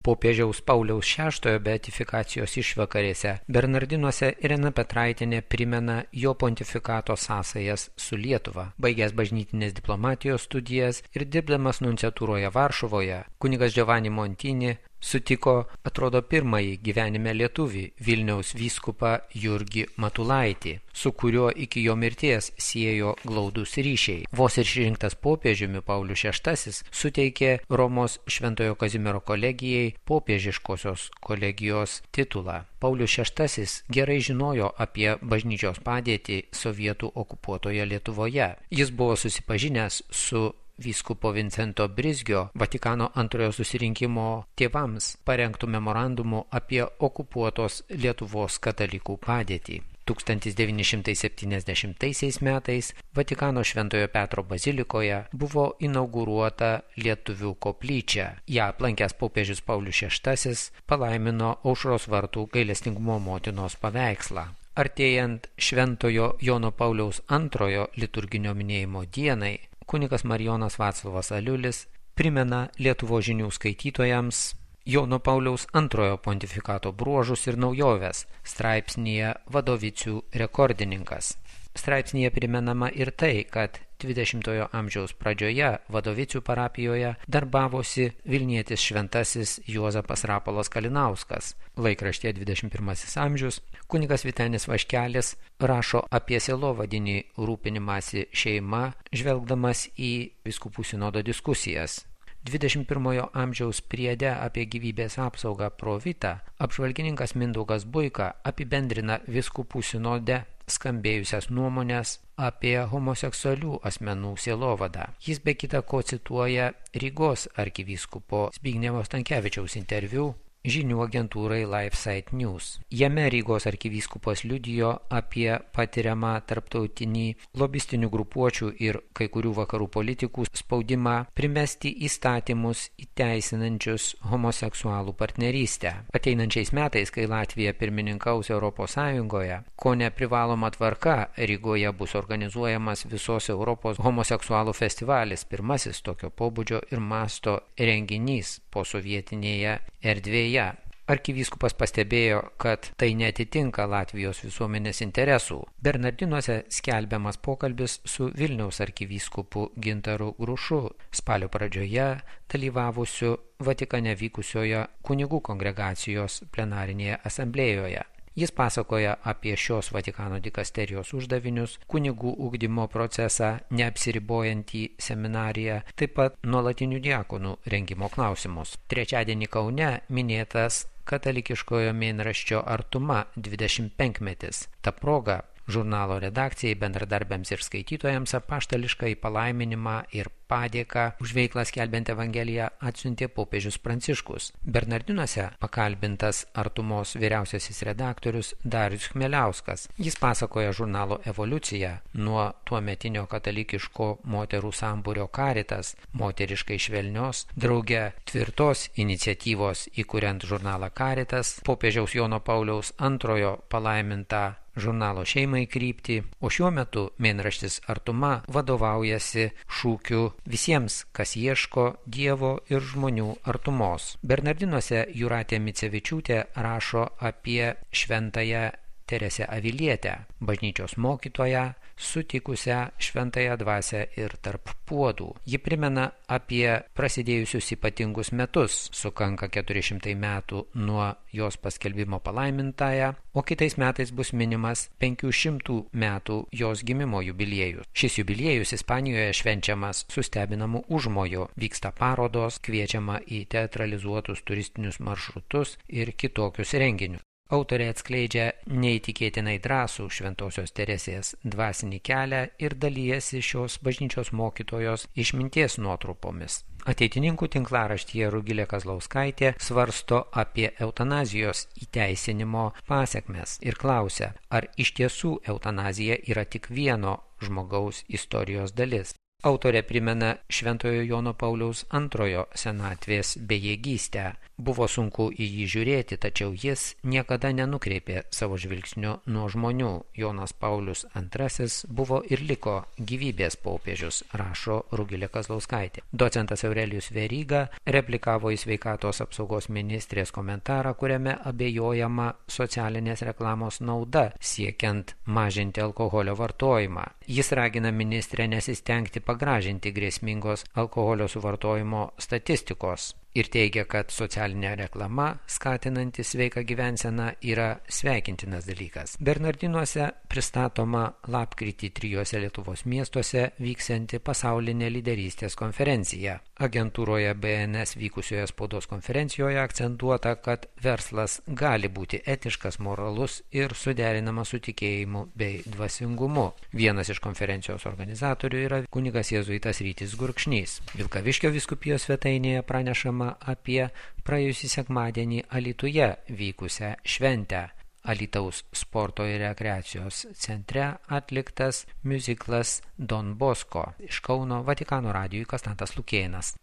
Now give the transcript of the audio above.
Popiežiaus Pauliaus VI beatifikacijos išvakarėse Bernardinuose Irena Petraitienė primena jo pontifikato sąsajas su Lietuva. Baigęs bažnytinės diplomatijos studijas ir dirbdamas nunciatūroje Varšuvoje, kunigas Giovanni Montini sutiko, atrodo, pirmąjį gyvenime lietuvį Vilniaus vyskupą Jurgį Matulaitį, su kuriuo iki jo mirties siejo glaudus ryšiai. Vos išrinktas popiežiumi Paulius VI suteikė Romos Šventojo Kazimiero kolegijai popiežiškosios kolegijos titulą. Paulius VI gerai žinojo apie bažnyčios padėtį sovietų okupuotoje Lietuvoje. Jis buvo susipažinęs su vyskupo Vincento Brizgio Vatikano antrojo susirinkimo tėvams parengtų memorandumų apie okupuotos Lietuvos katalikų padėtį. 1970 metais Vatikano Šventojo Petro bazilikoje buvo inauguruota lietuvių koplyčia. Ją aplankęs popiežius Paulius VI palaimino Aušros vartų gailestingumo motinos paveikslą. Artėjant Šventojo Jono Pauliaus II liturginio minėjimo dienai, kunigas Marijonas Vaclovas Aliulis primena Lietuvos žinių skaitytojams Jono Pauliaus II pontifikato bruožus ir naujoves straipsnyje Vadovicių rekordininkas. Straipsnyje primenama ir tai, kad 20-ojo amžiaus pradžioje Vadovicių parapijoje darbavosi Vilnietis šventasis Juozapas Rapolas Kalinauskas. Laikraštyje 21 amžius kunigas Vytenis Vaškelis rašo apie sielovadinį rūpinimąsi šeima, žvelgdamas į vyskupų sinodo diskusijas. 21 amžiaus priede apie gyvybės apsaugą pro vitą apžvalgininkas Mindaugas Buika apibendrina vyskupų sinode skambėjusias nuomonės apie homoseksualių asmenų sielovadą. Jis be kita ko cituoja Rygos arkivyskupo Zbignevo Stankevičiaus interviu žinių agentūrai LifeSite News. Jame Rygos arkivyskupas liudijo apie patiriamą tarptautinį lobistinių grupuočių ir kai kurių vakarų politikų spaudimą primesti įstatymus įteisinančius homoseksualų partnerystę. Ateinančiais metais, kai Latvija pirmininkaus Europos Sąjungoje, kone privaloma tvarka Rygoje bus organizuojamas visos Europos homoseksualų festivalis, pirmasis tokio pobūdžio ir masto renginys posovietinėje erdvėje. Arkivyskupas pastebėjo, kad tai netitinka Latvijos visuomenės interesų. Bernardinuose skelbiamas pokalbis su Vilniaus arkivyskupu Gintaru Grušu spalio pradžioje dalyvavusiu Vatikane vykusioje kunigų kongregacijos plenarinėje asamblėjoje. Jis pasakoja apie šios Vatikano dikasterijos uždavinius, kunigų ugdymo procesą, neapsiribojantį seminariją, taip pat nuolatinių diakonų rengimo klausimus. Trečiadienį Kaune minėtas katalikiškojo mėnraščio Artuma 25-metis. Ta proga žurnalo redakcijai, bendradarbiams ir skaitytojams apaštališką palaiminimą ir padėką už veiklą skelbiant Evangeliją atsiuntė popiežius Pranciškus. Bernardinuose pakalbintas Artumos vyriausiasis redaktorius Darius Chmeliauskas. Jis pasakoja žurnalo evoliuciją nuo tuometinio katalikiško moterų sambūrio Caritas, moteriškai švelnios, drauge tvirtos iniciatyvos įkuriant žurnalą Caritas, popiežiaus Jono Pauliaus II palaimintą žurnalo šeimai kryptį, o šiuo metu mėnraštis Artuma vadovaujasi šūkiu visiems, kas ieško Dievo ir žmonių artumos. Bernardinuose Jūratė Micevičiūtė rašo apie šventąją Teresę Avilietę, bažnyčios mokytoją, sutikusią šventąją dvasią ir tarp puodų. Ji primena apie prasidėjusius ypatingus metus, sukanka 400 metų nuo jos paskelbimo palaimintąją, o kitais metais bus minimas 500 metų jos gimimo jubiliejus. Šis jubiliejus Ispanijoje švenčiamas su stebinamu užmoju, vyksta parodos, kviečiama į teatralizuotus turistinius maršrutus ir kitokius renginius. Autorė atskleidžia neįtikėtinai drąsų šventosios Teresės dvasinį kelią ir dalyjasi šios bažnyčios mokytojos išminties nuotrupomis. Ateitininkų tinklaraštyje Rugilė Kazlauskaitė svarsto apie eutanazijos įteisinimo pasekmes ir klausia, ar iš tiesų eutanazija yra tik vieno žmogaus istorijos dalis. Autorė primena Šventojo Jono Pauliaus II senatvės bejėgystę. Buvo sunku į jį žiūrėti, tačiau jis niekada nenukreipė savo žvilgsnio nuo žmonių. Jonas Paulius II buvo ir liko gyvybės popiežius, rašo Rugilė Kazlauskaitė. Docentas Aurelijus Veryga replikavo į sveikatos apsaugos ministrės komentarą, kuriame abejojama socialinės reklamos nauda siekiant mažinti alkoholio vartojimą. Jis ragina ministrę nesistengti pagražinti grėsmingos alkoholio suvartojimo statistikos ir teigia, kad socialinė reklama, skatinanti sveiką gyvenseną, yra sveikintinas dalykas. Bernardinuose pristatoma lapkritį 3 Lietuvos miestuose vyksianti pasaulinė lyderystės konferencija. Agentūroje BNS vykusioje spaudos konferencijoje akcentuota, kad verslas gali būti etiškas, moralus ir suderinamas su tikėjimu bei dvasingumu. Vienas iš konferencijos organizatorių yra kunigas jėzuitas Rytis Gurkšnys. Vilkaviškio vyskupijos svetainėje pranešama apie praėjusį sekmadienį Alytuje vykusią šventę. Alytaus sporto ir rekreacijos centre atliktas miuziklas Don Bosco. Iš Kauno Vatikano radijui Konstantas Lukėnas.